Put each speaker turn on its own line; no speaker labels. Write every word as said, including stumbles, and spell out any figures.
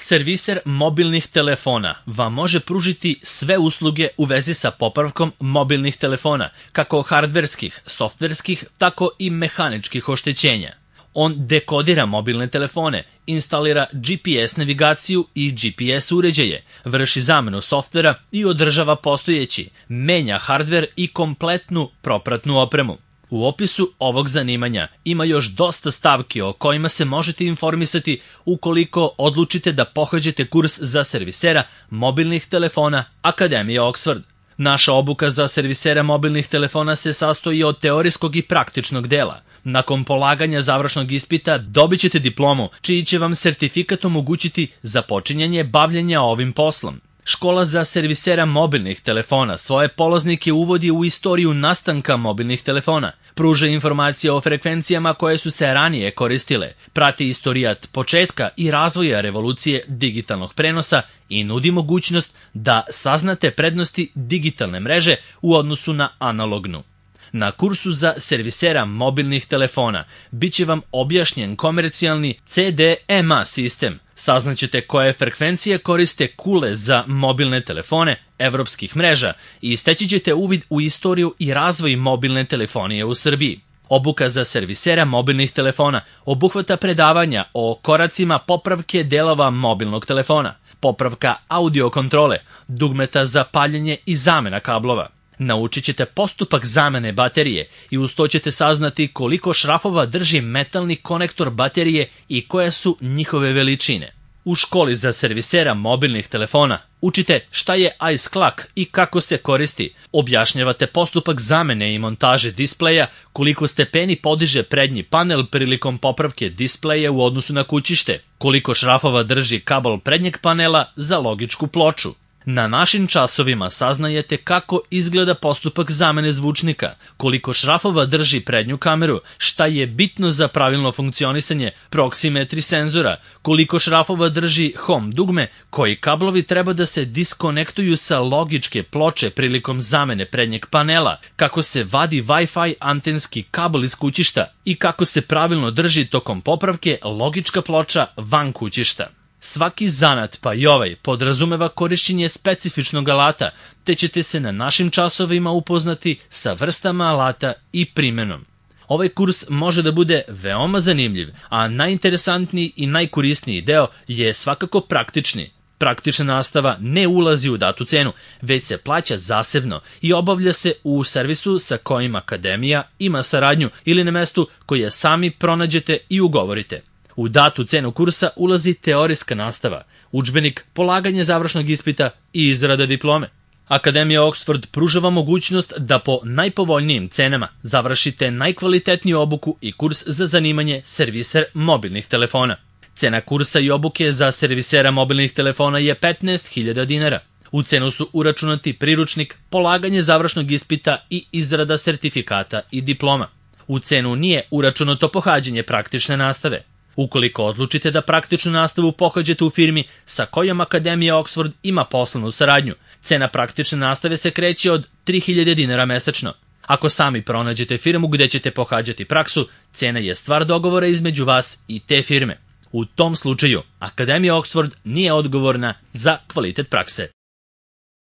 Serviser mobilnih telefona vam može pružiti sve usluge u vezi sa popravkom mobilnih telefona, kako hardverskih, softverskih, tako i mehaničkih oštećenja. On dekodira mobilne telefone, instalira G P S navigaciju i G P S uređaje, vrši zamenu softvera i održava postojeći, menja hardver i kompletnu propratnu opremu. U opisu ovog zanimanja ima još dosta stavki o kojima se možete informisati ukoliko odlučite da pohađate kurs za servisera mobilnih telefona Akademije Oxford. Naša obuka za servisera mobilnih telefona se sastoji od teorijskog i praktičnog dela. Nakon polaganja završnog ispita dobit ćete diplomu, čiji će vam sertifikat omogućiti započinjanje bavljenja ovim poslom. Škola za servisera mobilnih telefona svoje polaznike uvodi u istoriju nastanka mobilnih telefona, pruža informacije o frekvencijama koje su se ranije koristile, prati istorijat početka i razvoja revolucije digitalnog prenosa i nudi mogućnost da saznate prednosti digitalne mreže u odnosu na analognu. Na kursu za servisera mobilnih telefona bit će vam objašnjen komercijalni C D M A sistem, saznaćete koje frekvencije koriste kule za mobilne telefone evropskih mreža i steći ćete uvid u istoriju i razvoj mobilne telefonije u Srbiji. Obuka za servisera mobilnih telefona obuhvata predavanja o koracima popravke delova mobilnog telefona, popravka audio kontrole, dugmeta za paljenje i zamena kablova. Naučit ćete postupak zamene baterije i uz to ćete saznati koliko šrafova drži metalni konektor baterije i koje su njihove veličine. U školi za servisera mobilnih telefona učite šta je ice clock i kako se koristi, objašnjavate postupak zamene i montaže displeja, koliko stepeni podiže prednji panel prilikom popravke displeja u odnosu na kućište, koliko šrafova drži kabel prednjeg panela za logičku ploču. Na našim časovima saznajete kako izgleda postupak zamene zvučnika, koliko šrafova drži prednju kameru, šta je bitno za pravilno funkcionisanje proksimetri senzora, koliko šrafova drži home dugme, koji kablovi treba da se diskonektuju sa logičke ploče prilikom zamene prednjeg panela, kako se vadi Wi-Fi antenski kabel iz kućišta i kako se pravilno drži tokom popravke logička ploča van kućišta. Svaki zanat, pa i ovaj, podrazumeva korišćenje specifičnog alata, te ćete se na našim časovima upoznati sa vrstama alata i primenom. Ovaj kurs može da bude veoma zanimljiv, a najinteresantniji i najkorisniji deo je svakako praktični. Praktična nastava ne ulazi u datu cenu, već se plaća zasebno i obavlja se u servisu sa kojim Akademija ima saradnju ili na mestu koje sami pronađete i ugovorite. U datu cenu kursa ulazi teorijska nastava, udžbenik, polaganje završnog ispita i izrada diplome. Akademija Oxford pruža vam mogućnost da po najpovoljnijim cenama završite najkvalitetniju obuku i kurs za zanimanje serviser mobilnih telefona. Cena kursa i obuke za servisera mobilnih telefona je petnaest hiljada dinara. U cenu su uračunati priručnik, polaganje završnog ispita i izrada sertifikata i diploma. U cenu nije uračunato pohađanje praktične nastave. Ukoliko odlučite da praktičnu nastavu pohađate u firmi sa kojom Akademija Oxford ima poslovnu saradnju, cena praktične nastave se kreće od tri hiljade dinara mesečno. Ako sami pronađete firmu gde ćete pohađati praksu, cena je stvar dogovora između vas i te firme. U tom slučaju, Akademija Oxford nije odgovorna za kvalitet prakse.